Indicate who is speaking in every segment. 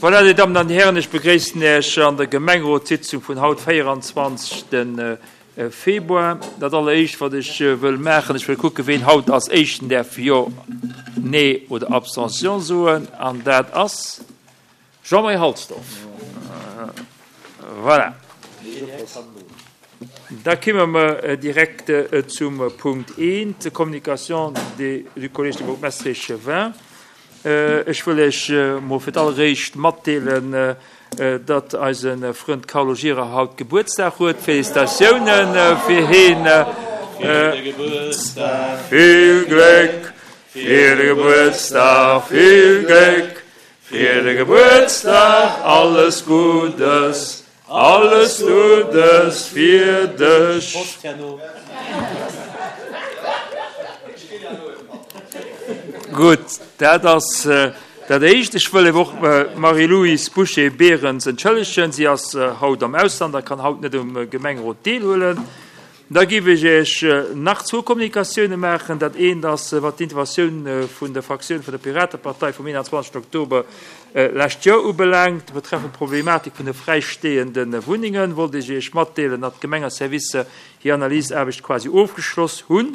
Speaker 1: Voilà, Dir Dammen an Dir Hären, ech begréissen Iech an der Gemengerotssitzung vun haut, 24. Februar. Dat alleréischt, wat ech wëll maachen, ech wëll kucken, ween haut als Éischten däerf Jo, Nee oder Abstention soen, an dat ass Jean-Marie Halsdorf. Voilà. Da kimme mer direkt zum Punkt 1, Communication du Collège des bourgmestres et échevins. Ech wëll Iech mol fir d'alleréischt matdeelen, datt eise Frënd Carlo Gira haut Gebuertsdag huet. Félicitatiounen fir heen! Vill Gléck fir de Gebuertsdag, vill Gléck fir de Gebuertsdag, alles Guddes Alles Guddes fir dech! Gutt, dat ass dat Éischt. Ech wëll awer och d'Marie-Louise Boucher-Berens entschëllegen. Si ass haut am Ausland a kann haut net um Gemengerot deelhuelen. Da géif ech Iech nach zwou Kommunikatioune maachen. Dat eent ass, wat d'Interventioun vun der Fraktioun vun der Piratepartei vum 21 Oktober lescht Joer ubelaangt. Betreffend d'Problematik vun de fräistehende Wunnengen wollt ech Iech matdeelen, datt d'Gemengeservicer hir Analysaarbecht quasi ofgeschloss hunn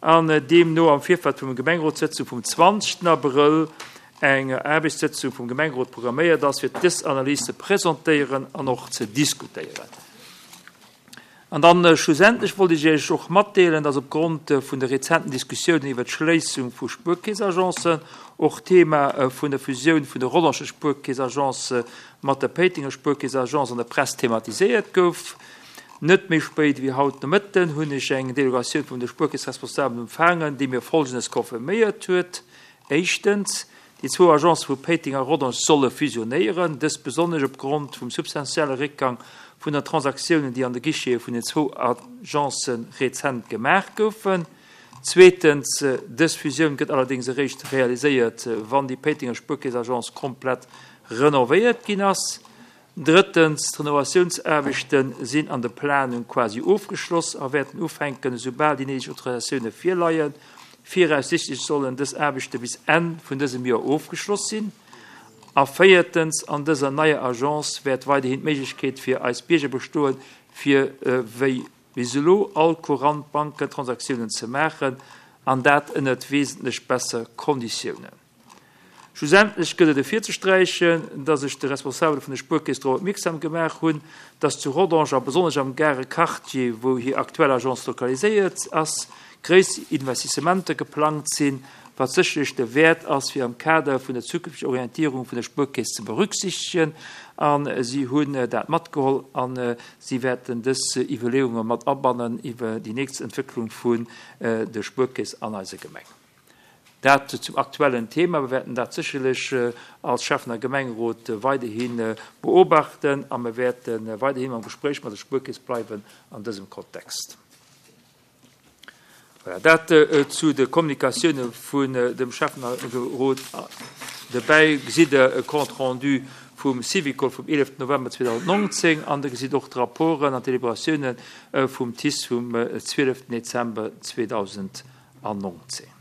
Speaker 1: an deemno am Virfeld vum Gemengerotssëtzung vum 20 Abrëll eng Aarbechtssëtzung vum Gemengerot programméiert ass, fir dës Analys ze presentéieren an och ze diskutéieren. An dann schlussendlech wollt ech Iech och matdeelen, dass opgrond vun de rezenten Diskussiounen iwwert d'Schléissung vu Spuerkeessagencen och d'Thema vun der Fusioun vun der Rollenger Spuerkeessagence mat der Péitenger Spuerkeessagence an der Press thematiséiert gouf. Net méi spéit wéi haut Nomëtten hunn ech eng Delegatioun vun de Spuerkeessresponsabelen empfaangen, déi mir Folgendes confirméiert huet, Éischtens, Déi zwou Agencë vu Péiteng a Rodange solle fusionéieren, dëst besonnesch opgrond vum substantielle Réckgang vun der Transaktiounen, déi an de Guichete vun den zwou Agencë rezent gemaach goufen. Zweetens, dës Fusioun gëtt allerdéngs eréischt realiséiert, wann déi Péitenger Spuerkeess-Agence komplett renovéiert ginn ass. Drëttens, d'Renovatiounsaarbechte sinn an der Planung quasi ofgeschloss a wäerten ufänken, esoubal déi néideg Autorisatioune virleien. Viraussichtlech sollen dës Aarbechte bis Enn vun dësem Joer ofgeschloss sinn. A véiertens, an dëser neier Agence wäert weiderhin d'Méiglechkeet fir eis Bierger bestoen, fir wéi bis elo all courant Bankentransaktiounen ze maachen, an dat ënnert wesentlech besser Konditiounen. Schlussendlech gëtt et ervirzesträichen, dass ech de Responsabele vun der Spuerkeess drop opmierksam gemaach hunn, dass zu Rodange a besonnesch am Gare Quartier, wou hir aktuell Agence lokaliséiert ass, gréisser Investissementer geplangt sinn, wat sécherlech derwäert ass, fir am Kader vun der zukünfteger Orientierung vun der Spuerkeess ze berücksichtegen. A si hunn dat matgeholl a si wäerten dës Iwwerleeunge mat abannen iwwer déi nächst Entwécklung vun der Spuerkeess an eiser Gemeng. Dat zum aktuellen Thema. Mir wäerten dat sécherlech als Schäffen a Gemengerot weiderhi beobachten a mir wäerte weiderhin am Gespréich mat der Spuerkeess bleiwen an dësem Kontext. Voilà, dat zu de Kommunikatioune vun dem Schäffenrot. Dobäi gesitt Der e Compte rendu vum Syvicol vum 11 November 2019 an Der gesitt och d'Rapporten an d'Deliberatioune vum TICE vum 12 Dezember 2019.